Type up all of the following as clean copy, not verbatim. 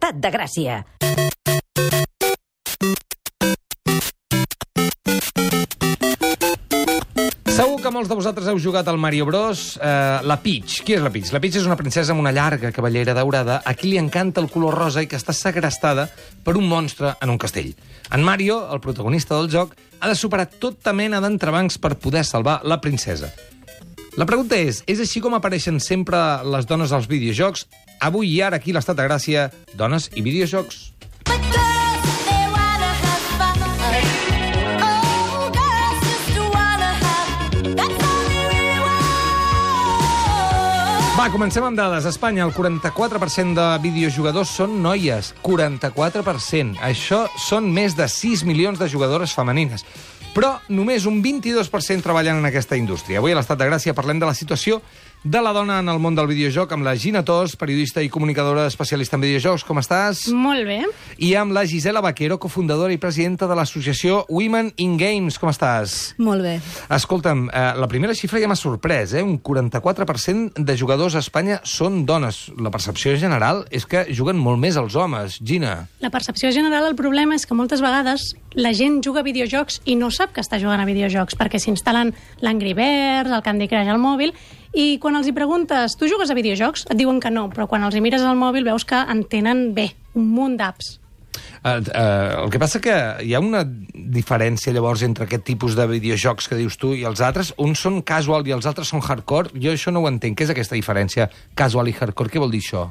Estat de Gràcia. Segur que molts de vosaltres heu jugat al Mario Bros. La Peach. Qui és la Peach? La Peach és una princesa amb una llarga cabellera daurada a qui li encanta el color rosa i que està segrestada per un monstre en un castell. En Mario, el protagonista del joc, ha de superar tota mena d'entrebancs per poder salvar la princesa. La pregunta és així com apareixen sempre les dones als videojocs? Avui i ara aquí a l'Estat de Gràcia, dones i videojocs. Va, comencem amb dades. A Espanya, el 44% de videojugadors són noies. 44%. Això són més de 6 milions de jugadores femenines. Però només un 22% treballen en aquesta indústria. Avui a l'Estat de Gràcia parlem de la situació de la dona en el món del videojoc amb la Gina Tos, periodista i comunicadora especialista en videojocs. Com estàs? Molt bé. I amb la Gisela Vaquero, cofundadora i presidenta de l'associació Women in Games. Com estàs? Molt bé. Escolta'm, la primera xifra ja m'ha sorprès, Un 44% de jugadors a Espanya són dones. La percepció general és que juguen molt més els homes. Gina. La percepció general, el problema és que moltes vegades la gent juga a videojocs i no sap que està jugant a videojocs, perquè s'instal·len l'Angry Birds, el Candy Crush al mòbil, i quan els hi preguntes, tu jugues a videojocs? Et diuen que no, però quan els hi mires al mòbil veus que en tenen bé, un munt d'apps. El que passa que hi ha una diferència llavors entre aquest tipus de videojocs que dius tu i els altres. Uns són casual i els altres són hardcore. Jo això no ho entenc. Què és aquesta diferència? Casual i hardcore, què vol dir això?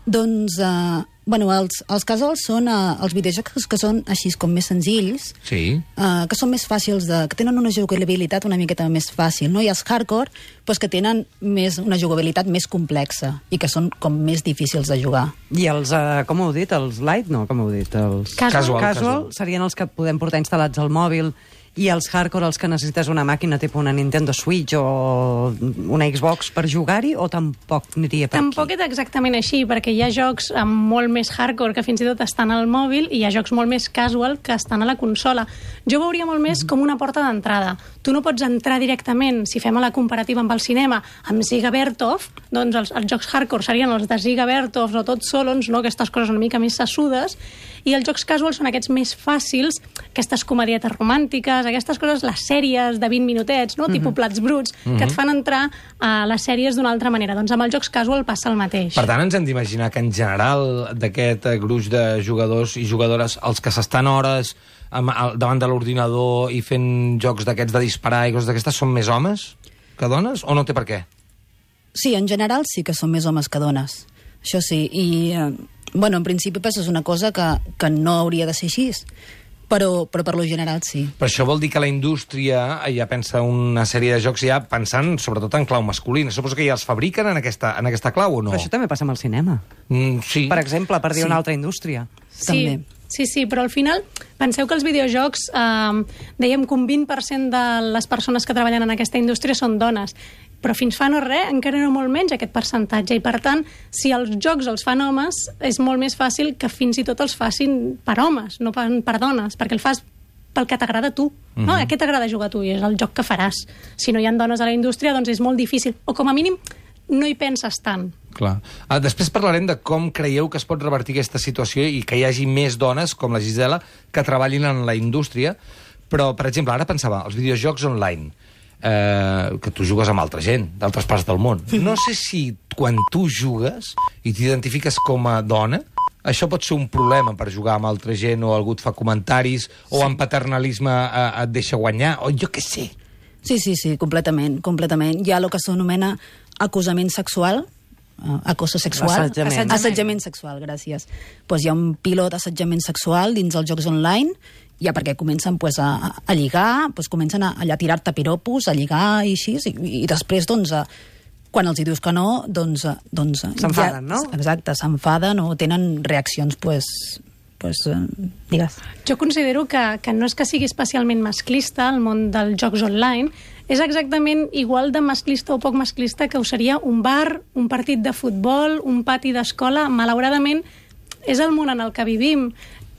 Doncs, els casuals són els videojocs que són així com més senzills, Sí. Que són més fàcils, que tenen una jugabilitat una miqueta més fàcil, no? I els hardcore, doncs, que tenen una jugabilitat més complexa i que són com més difícils de jugar. I els, com heu dit, els light, no, com heu dit? Els Casual serien els que podem portar instal·lats al mòbil, i els hardcore, els que necessites una màquina tipus una Nintendo Switch o una Xbox per jugar-hi, o tampoc aniria per Tampoc aquí? és exactament així, perquè hi ha jocs amb molt més hardcore que fins i tot estan al mòbil i hi ha jocs molt més casual que estan a la consola. Jo veuria molt més com una porta d'entrada. Tu no pots entrar directament, si fem la comparativa amb el cinema, amb Ziga Vertov, doncs els jocs hardcore serien els de Ziga Vertov o Tots Solons, no? Aquestes coses una mica més sassudes, i els jocs casuals són aquests més fàcils, aquestes comedietes romàntiques, aquestes coses, les sèries de 20 minutets, no? Tipus Plats Bruts, que et fan entrar a les sèries d'una altra manera. Doncs amb els jocs casual passa el mateix. Per tant, ens hem d'imaginar que en general d'aquest gruix de jugadors i jugadores, els que s'estan hores davant de l'ordinador i fent jocs d'aquests de disparar i coses d'aquestes, són més homes que dones, o no té per què? Sí, en general sí que són més homes que dones. Això sí, i en principi és una cosa que no hauria de ser així, però per lo general sí. Però això vol dir que la indústria ja pensa una sèrie de jocs ja pensant sobretot en clau masculina. Suposo que ja els fabriquen en aquesta clau, o no? Però això també passa amb el cinema. Sí. Per exemple, per dir una altra indústria. També. Sí, però al final penseu que els videojocs, dèiem que un 20% de les persones que treballen en aquesta indústria són dones, però fins fa no res, encara no molt menys aquest percentatge, i per tant, si els jocs els fan homes, és molt més fàcil que fins i tot els facin per homes, no per dones, perquè el fas pel que t'agrada a tu, no? A què t'agrada jugar a tu? I és el joc que faràs. Si no hi ha dones a la indústria, doncs és molt difícil, o com a mínim no hi penses tant. Clar. Després parlarem de com creieu que es pot revertir aquesta situació i que hi hagi més dones, com la Gisela, que treballin en la indústria. Però, per exemple, ara pensava, els videojocs online, que tu jugues amb altra gent, d'altres parts del món. No sé si quan tu jugues i t'identifiques com a dona, això pot ser un problema per jugar amb altra gent, o algú et fa comentaris, o en paternalisme et deixa guanyar, o jo què sé. Sí, completament. Hi ha el que s'anomena acusament sexual, acoso sexual. Assetjament sexual, gràcies. Doncs hi ha un pilot d'assetjament sexual dins els jocs online, ja perquè comencen a lligar, comencen a tirar-te piropos, a lligar i així, i després, quan els hi dius que no, s'enfaden, no? Exacte, s'enfaden o tenen reaccions, digues. Jo considero que no és que sigui especialment masclista el món dels jocs online, és exactament igual de masclista o poc masclista que ho seria un bar, un partit de futbol, un pati d'escola. Malauradament, és el món en el que vivim,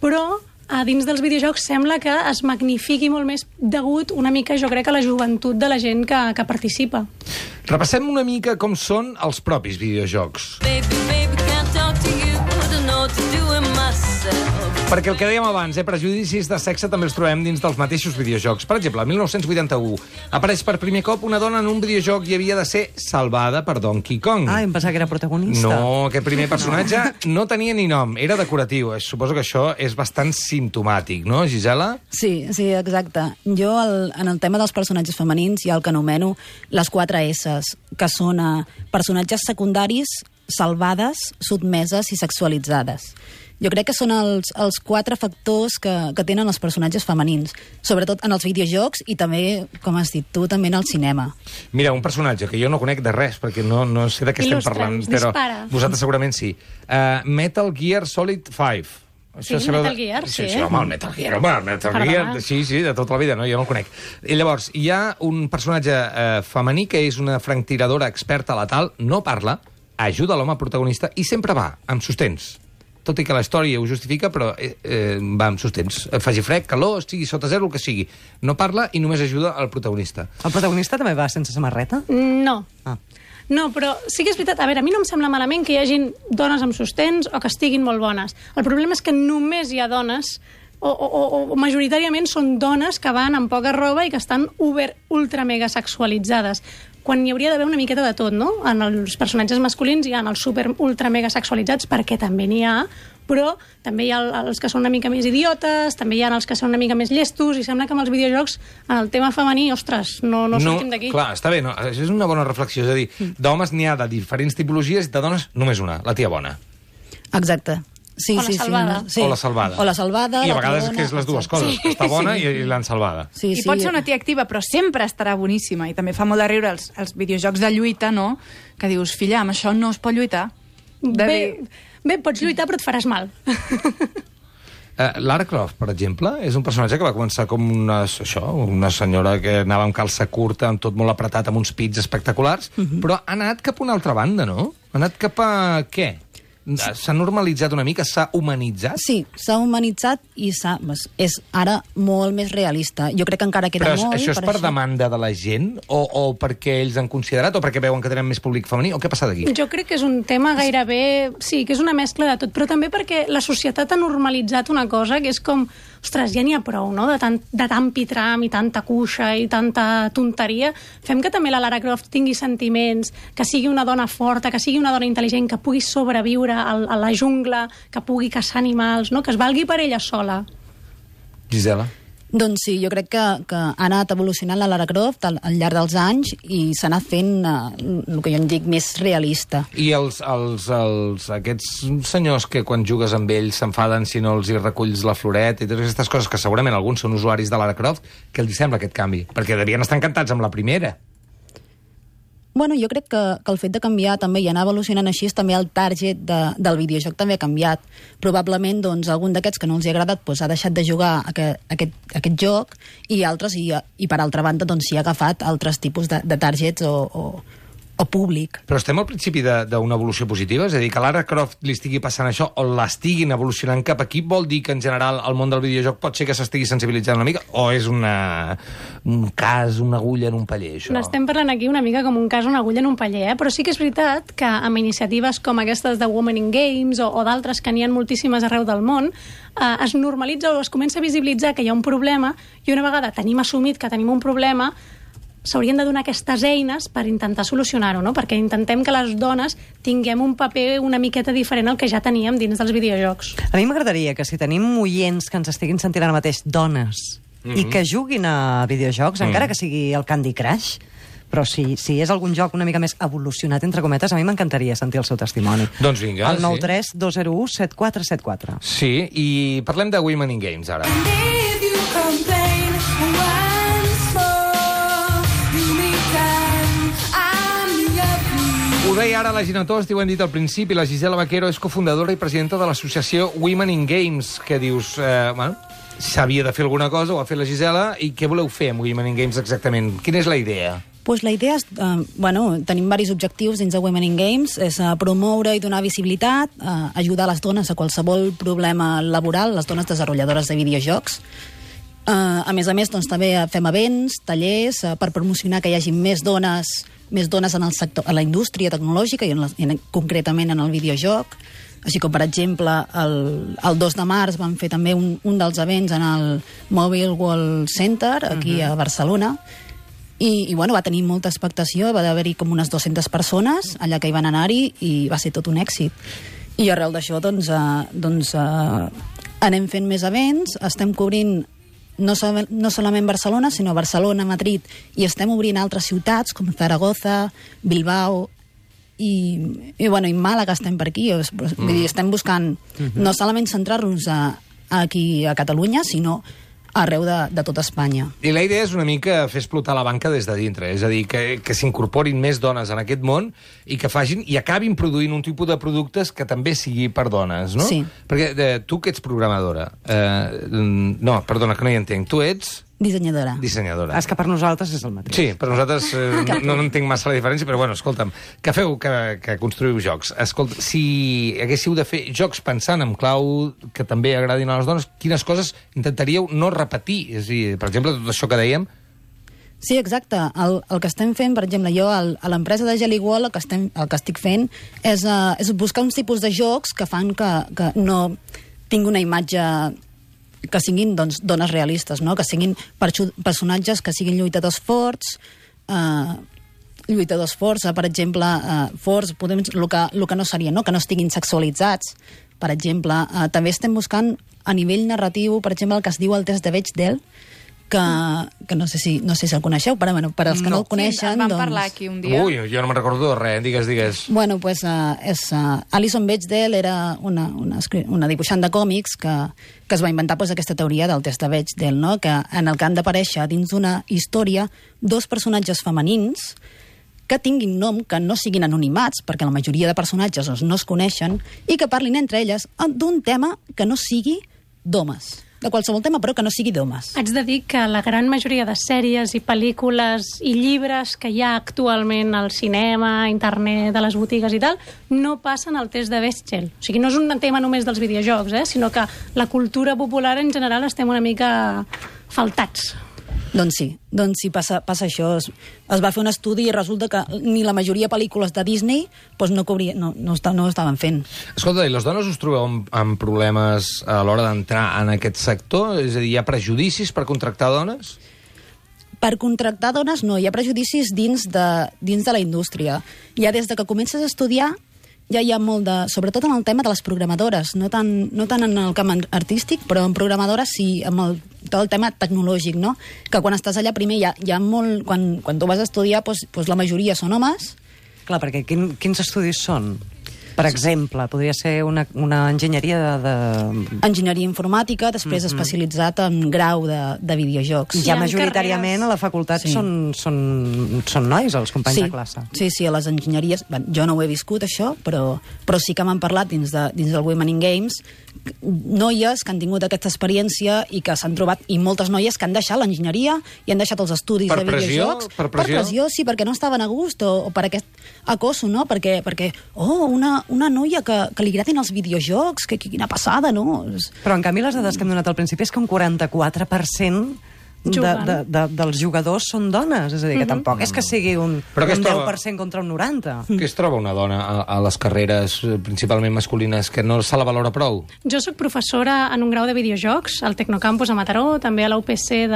però a dins dels videojocs sembla que es magnifiqui molt més degut una mica, jo crec, a la joventut de la gent que participa. Repassem una mica com són els propis videojocs. Baby, can't talk to you. I don't know what to do. Perquè el que dèiem abans, prejudicis de sexe també els trobem dins dels mateixos videojocs. Per exemple, el 1981 apareix per primer cop una dona en un videojoc i havia de ser salvada per Donkey Kong. Ah, em pensava que era protagonista. No, aquest primer personatge no tenia ni nom, era decoratiu. Suposo que això és bastant simptomàtic, no, Gisela? Sí, exacte. Jo, en el tema dels personatges femenins, hi ha el que anomeno les 4 S's, que són personatges secundaris, salvades, sotmeses i sexualitzades. Jo crec que són els 4 factors que tenen els personatges femenins, sobretot en els videojocs i també, com has dit tu, també en el cinema. Mira, un personatge que jo no conec de res, perquè no sé de què estem parlant, però vosaltres segurament sí. Metal Gear Solid 5. Sí, Metal Gear, sí. Sí, home, el Metal Gear, sí, de tota la vida, no? Jo no el conec. I llavors, hi ha un personatge femení que és una franctiradora experta letal, no parla, ajuda l'home protagonista i sempre va amb sostens. Tot i que la història ho justifica, però va amb sostens. Faci fred, calor, estigui sota zero, el que sigui. No parla i només ajuda el protagonista. El protagonista també va sense samarreta? No. No, però sí que és veritat. A veure, a mi no em sembla malament que hi hagin dones amb sostens o que estiguin molt bones. El problema és que només hi ha dones o majoritàriament són dones que van amb poca roba i que estan ultra mega sexualitzades, quan hi hauria d'haver una miqueta de tot, no? En els personatges masculins hi ha els super ultra mega sexualitzats, perquè també n'hi ha, però també hi ha els que són una mica més idiotes, també hi ha els que són una mica més llestos, i sembla que amb els videojocs, en el tema femení, ostres, no sortim d'aquí. Clar, està bé, no? Això és una bona reflexió, és a dir, d'homes n'hi ha de diferents tipologies i de dones només una, la tia bona. Exacte. Sí, o la salvada. Sí. O la salvada. O la salvada. I a vegades és que és les dues coses, que està bona i l'han salvada. I pot ser una tia activa, però sempre estarà boníssima. I també fa molt de riure els videojocs de lluita, no? Que dius, filla, amb això no es pot lluitar. Bé, pots lluitar, però et faràs mal. Lara Croft, per exemple, és un personatge que va començar com una senyora que anava amb calça curta, amb tot molt apretat, amb uns pits espectaculars, però ha anat cap a una altra banda, no? Ha anat cap a què? S'ha normalitzat una mica? S'ha humanitzat? Sí, s'ha humanitzat i és ara molt més realista. Jo crec que encara queda molt... Però això és per demanda de la gent? O perquè ells han considerat? O perquè veuen que tenen més públic femení? O què ha passat aquí? Jo crec que és un tema gairebé... Sí, que és una mescla de tot, però també perquè la societat ha normalitzat una cosa que és com... Ostres, ja n'hi ha prou, no?, de tant pitram i tanta cuixa i tanta tonteria. Fem que també la Lara Croft tingui sentiments, que sigui una dona forta, que sigui una dona intel·ligent, que pugui sobreviure a la jungla, que pugui caçar animals, no?, que es valgui per ella sola. Gisela? Doncs sí, jo crec que ha anat evolucionant la Lara Croft al llarg dels anys i s'ha anat fent el que jo en dic més realista. I aquests senyors que quan jugues amb ells s'enfaden si no els hi reculls la floret i totes aquestes coses, que segurament alguns són usuaris de Lara Croft, què els sembla aquest canvi? Perquè devien estar encantats amb la primera. Bueno, jo crec que el fet de canviar també i anar evolucionant així, també el target del videojoc també ha canviat. Probablement, doncs, algun d'aquests que no els hi ha agradat ha deixat de jugar aquest joc i altres, i per altra banda, doncs, s'hi ha agafat altres tipus de targets o públic. Però estem al principi d'una evolució positiva? És a dir, que Lara Croft li estigui passant això o l'estiguin evolucionant cap aquí, vol dir que en general el món del videojoc pot ser que s'estigui sensibilitzant una mica o és un cas, una agulla en un paller, això? N'estem parlant aquí una mica com un cas, una agulla en un paller, però sí que és veritat que amb iniciatives com aquestes de Women in Games o d'altres que n'hi ha moltíssimes arreu del món, es normalitza o es comença a visibilitzar que hi ha un problema i una vegada tenim assumit que tenim un problema, s'haurien de donar aquestes eines per intentar solucionar-ho, no? Perquè intentem que les dones tinguem un paper una miqueta diferent al que ja teníem dins dels videojocs. A mi m'agradaria que si tenim oients que ens estiguin sentint ara mateix dones i que juguin a videojocs, encara que sigui el Candy Crush, però si és algun joc una mica més evolucionat, entre cometes, a mi m'encantaria sentir el seu testimoni. Doncs vinga, el 93 201 7474. Sí, i parlem de Women in Games, ara. Ho deia ara la Gina Tost, i ho hem dit al principi, la Gisela Vaquero és cofundadora i presidenta de l'associació Women in Games, que dius, s'havia de fer alguna cosa, ho ha fet la Gisela, i què voleu fer amb Women in Games exactament? Quina és la idea? Pues la idea és, tenim diversos objectius dins de Women in Games, és promoure i donar visibilitat, ajudar les dones a qualsevol problema laboral, les dones desenvolupadores de videojocs. A més, doncs, també fem events, tallers, per promocionar que hi hagi més dones en el sector, a la indústria tecnològica i concretament en el videojoc. Així com, per exemple, el 2 de març van fer també un dels events en el Mobile World Center, aquí a Barcelona, i bueno, va tenir molta expectació, va haver-hi com unes 200 persones allà que hi van anar-hi i va ser tot un èxit. I arrel d'això doncs, anem fent més events, estem cobrint no solament Barcelona, sinó Barcelona, Madrid, i estem obrint altres ciutats com Zaragoza, Bilbao i Màlaga estem per aquí. Vull dir, estem buscant no solament centrar-nos aquí a Catalunya, sinó arreu de tota Espanya. I la idea és una mica fer explotar la banca des de dintre, és a dir, que s'incorporin més dones en aquest món i que facin i acabin produint un tipus de productes que també sigui per dones, no? Sí. Perquè tu que ets programadora... no, perdona, que no hi entenc. Tu ets... Dissenyadora. Dissenyadora. És que per nosaltres és el mateix. Sí, per nosaltres no entenc massa la diferència, però bueno, escolta'm, que feu, que construïu jocs. Escolta, si haguéssiu de fer jocs pensant en clau que també agradin a les dones, quines coses intentaríeu no repetir? És a dir, per exemple, tot això que dèiem... Sí, exacte. El que estem fent, per exemple, jo a l'empresa de Jelly Wall, el que estic fent és buscar uns tipus de jocs que fan que no tingui una imatge que siguin doncs, dones realistes, no? Que siguin personatges que siguin lluitadors forts, per exemple, forts, el que no seria, no? Que no estiguin sexualitzats, per exemple. També estem buscant a nivell narratiu, per exemple, el que es diu el test de Bechdel, que no sé si el coneixeu, però bueno, per als que no el coneixen... Sí, en vam parlar aquí un dia. Ui, jo no me'n recordo de res, digues. Bueno, pues Alison Bechdel era una dibuixant de còmics que es va inventar pues, aquesta teoria del test de Bechdel, no? Que en el que han d'aparèixer dins d'una història dos personatges femenins que tinguin nom, que no siguin anonimats, perquè la majoria de personatges no es coneixen, i que parlin entre elles d'un tema que no sigui d'homes. De qualsevol tema, però que no sigui d'homes. Haig de dir que la gran majoria de sèries i pel·lícules i llibres que hi ha actualment al cinema, a internet, a les botigues i tal, no passen el test de Bechdel. O sigui, no és un tema només dels videojocs, sinó que la cultura popular en general estem una mica faltats. Doncs sí, passa això. Es va fer un estudi i resulta que ni la majoria de pel·lícules de Disney doncs no ho estaven fent. Escolta, i les dones us trobeu amb problemes a l'hora d'entrar en aquest sector? És a dir, hi ha prejudicis per contractar dones? Per contractar dones no, hi ha prejudicis dins de la indústria. Ja des de que comences a estudiar ja hi ha molt de... Sobretot en el tema de les programadores, no tant en el camp artístic, però en programadores sí, amb tot el tema tecnològic, no? Que quan estàs allà primer hi ha molt... Quan tu vas a estudiar, doncs la majoria són homes. Clar, perquè quins estudis són? Per exemple, podria ser una enginyeria de... Enginyeria informàtica, després especialitzat en grau de videojocs. Ja majoritàriament a la facultat són nois, els companys de classe. Sí, a les enginyeries... Jo no ho he viscut, això, però sí que m'han parlat dins del Women in Games noies que han tingut aquesta experiència i que s'han trobat, i moltes noies que han deixat l'enginyeria i han deixat els estudis de videojocs. Per pressió? Sí, perquè no estaven a gust o per aquest acoso, no? Perquè una noia que li agradin els videojocs, que quina passada, no? Però en canvi les dades que hem donat al principi és que un 44% dels jugadors són dones, és a dir, que tampoc és que sigui un 10% contra un 90%. Què es troba una dona a les carreres principalment masculines que no se la valora prou? Jo soc professora en un grau de videojocs al Tecnocampus a Mataró, també a la UPC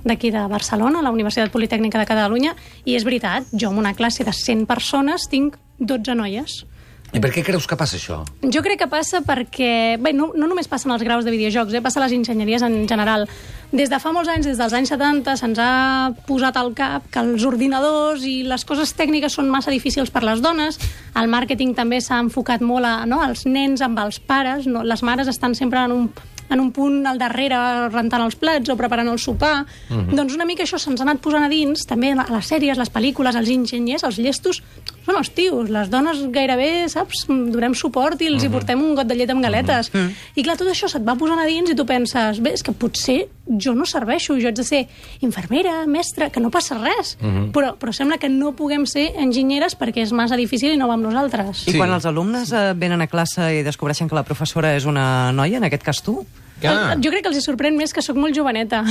d'aquí de Barcelona, a la Universitat Politècnica de Catalunya, i és veritat, jo en una classe de 100 persones tinc 12 noies. I per què creus que passa això? Jo crec que passa perquè... Bé, no només passen els graus de videojocs, passa a les enginyeries en general. Des de fa molts anys, des dels anys 70, se'ns ha posat al cap que els ordinadors i les coses tècniques són massa difícils per les dones. El màrqueting també s'ha enfocat molt als nens amb els pares. No? Les mares estan sempre en un punt al darrere rentant els plats o preparant el sopar. Doncs una mica això se'ns ha anat posant a dins, també a les sèries, les pel·lícules, els enginyers, els llestos, són els tios. Les dones gairebé, saps, donem suport i els hi portem un got de llet amb galetes. I clar, tot això se't va posant a dins i tu penses, bé, és que potser jo no serveixo, jo haig de ser infermera, mestra, que no passa res. Però sembla que no puguem ser enginyeres perquè és massa difícil i no va amb nosaltres. I quan els alumnes venen a classe i descobreixen que la professora és una noia, en aquest cas tu? Jo crec que els sorprèn més que sóc molt joveneta.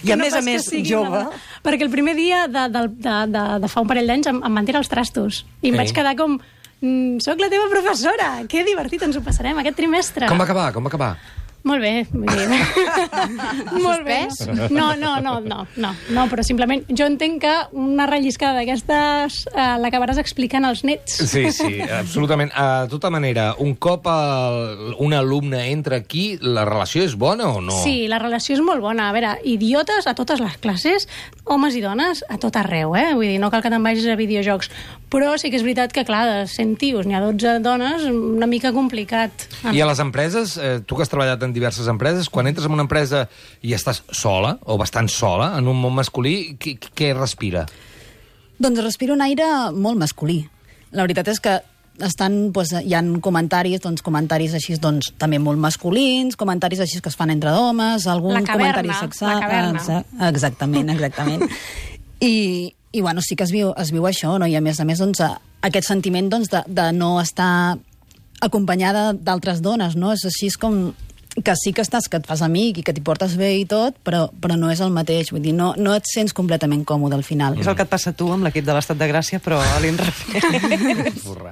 I a més jove. Perquè el primer dia de fa un parell d'anys em van tirar els trastos. I em vaig quedar com... Soc la teva professora. Que divertit ens ho passarem aquest trimestre. Com va acabar? Molt bé, vull dir... Molt bé. No, però simplement jo entenc que una relliscada d'aquestes l'acabaràs explicant als nets. Sí, absolutament. De tota manera, un cop un alumne entra aquí, la relació és bona o no? Sí, la relació és molt bona. A veure, idiotes a totes les classes, homes i dones a tot arreu, Vull dir, no cal que te'n vagis a videojocs. Però sí que és veritat que, clar, de 100 tios n'hi ha 12 dones, una mica complicat. I a les empreses, tu que has treballat en diverses empreses, quan entres en una empresa i estàs sola, o bastant sola, en un món masculí, què respira? Doncs respira un aire molt masculí. La veritat és que hi ha comentaris així també molt masculins, comentaris així que es fan entre homes, algun comentari sexual... La caverna. Exactament. I bueno, sí que es viu això, no? I a més, aquest sentiment de no estar acompanyada d'altres dones, no? És així com que sí que et fas amic i que t'hi portes bé i tot, però no és el mateix. Vull dir, no et sents completament còmode al final. És el que et passa a tu amb l'equip de l'Estat de Gràcia, però a l'inrevés. Burra.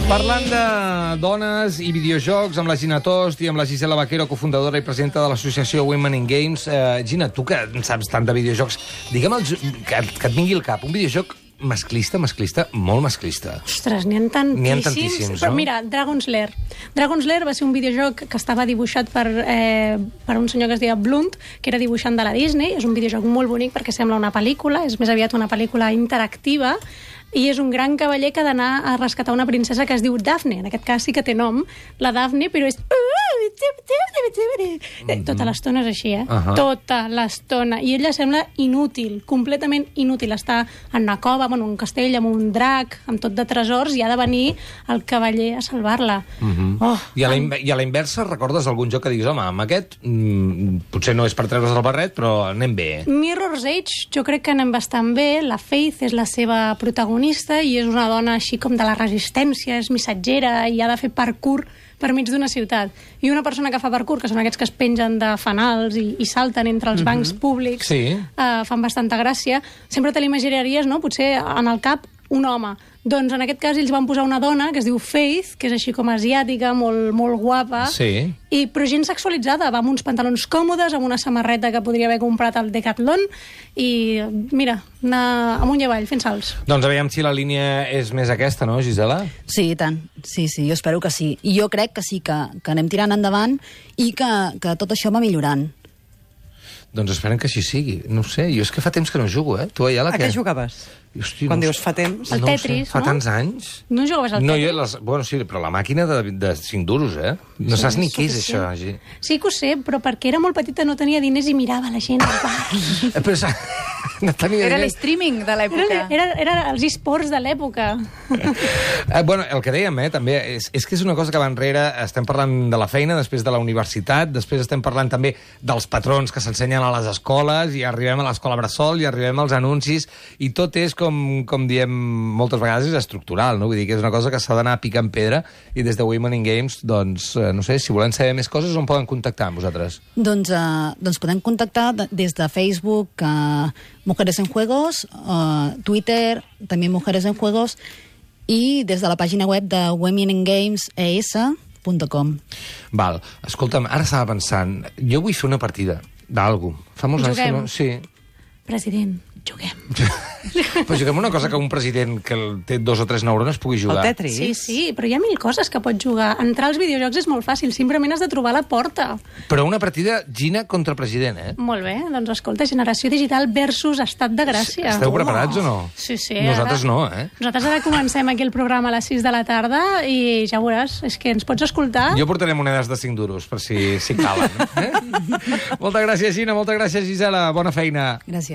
Parlant de dones i videojocs, amb la Gina Tost i amb la Gisela Vaquero, cofundadora i presidenta de l'associació Women in Games. Gina, tu que en saps tant de videojocs, digue'm que et vingui al cap un videojoc masclista, molt masclista. Ostres, n'hi ha tantíssims. Però mira, Dragon's Lair. Dragon's Lair va ser un videojoc que estava dibuixat per un senyor que es deia Blunt, que era dibuixant de la Disney. És un videojoc molt bonic perquè sembla una pel·lícula, és més aviat una pel·lícula interactiva, i és un gran cavaller que ha d'anar a rescatar una princesa que es diu Daphne. En aquest cas sí que té nom, la Daphne, però és... Tota l'estona és així, Tota l'estona. I ella sembla inútil, completament inútil. Està en una cova, en un castell, amb un drac, amb tot de tresors, i ha de venir el cavaller a salvar-la. I a la inversa, recordes algun joc que diguis, home, amb aquest potser no és per treure's el barret, però anem bé. Mirror's Edge, jo crec que anem bastant bé. La Faith és la seva protagonista i és una dona així com de la resistència, és missatgera i ha de fer parkour per mig d'una ciutat. I una persona que fa parkour, que són aquests que es pengen de fanals i salten entre els bancs públics, fan bastanta gràcia. Sempre te l'imaginaries, no?, potser en el cap un home. Doncs en aquest cas ells van posar una dona que es diu Faith, que és així com asiàtica, molt guapa, però gens sexualitzada, va amb uns pantalons còmodes, amb una samarreta que podria haver comprat al Decathlon, i mira, anar amunt i avall, fent salts. Doncs aviam si la línia és més aquesta, no, Gisela? Sí, i tant. Sí, jo espero que sí. I jo crec que sí, que anem tirant endavant i que tot això va millorant. Doncs esperem que així sigui. No ho sé, jo és que fa temps que no jugo, Tu, Ayala, a què jugaves? Hosti, quan dius fa temps? El Tetris, fa tants anys. No jugaves al Tetris? Bueno, sí, però la màquina de 5 duros, No saps ni què és això, Gi. Sí que ho sé, però perquè era molt petita no tenia diners i mirava la gent al bar. Però no tenia era diners. l'streaming de l'època. Era els esports de l'època. Bueno, el que dèiem, també, és que és una cosa que va enrere. Estem parlant de la feina, després de la universitat, després estem parlant també dels patrons que s'ensenyen a les escoles, i arribem a l'escola bressol, i arribem als anuncis, i tot és com diem moltes vegades, és estructural, no? Vull dir que és una cosa que s'ha d'anar picant pedra, i des de Women in Games, doncs, no sé, si volen saber més coses, on poden contactar amb vosaltres? Doncs podem contactar des de Facebook, Mujeres en Juegos, Twitter, també Mujeres en Juegos, i des de la pàgina web de womeningamesES.com. Val, escolta'm, ara estava pensant, jo vull fer una partida d'algú. Fa molts anys que no... Sí. President, juguem. Però juguem una cosa que un president que té 2 o 3 neurones pugui jugar. El Tetris? Sí, però hi ha 1000 coses que pots jugar. Entrar als videojocs és molt fàcil, simplement has de trobar la porta. Però una partida Gina contra president, Molt bé, doncs escolta, Generació Digital versus Estat de Gràcia. Esteu preparats o no? Sí. Nosaltres no, Nosaltres ara comencem aquí el programa a les 6 de la tarda i ja veuràs, és que ens pots escoltar. Jo portaré monedes de 5 duros, per si calen. Moltes gràcies, Gina, moltes gràcies, Gisela. Bona feina. Gràcies.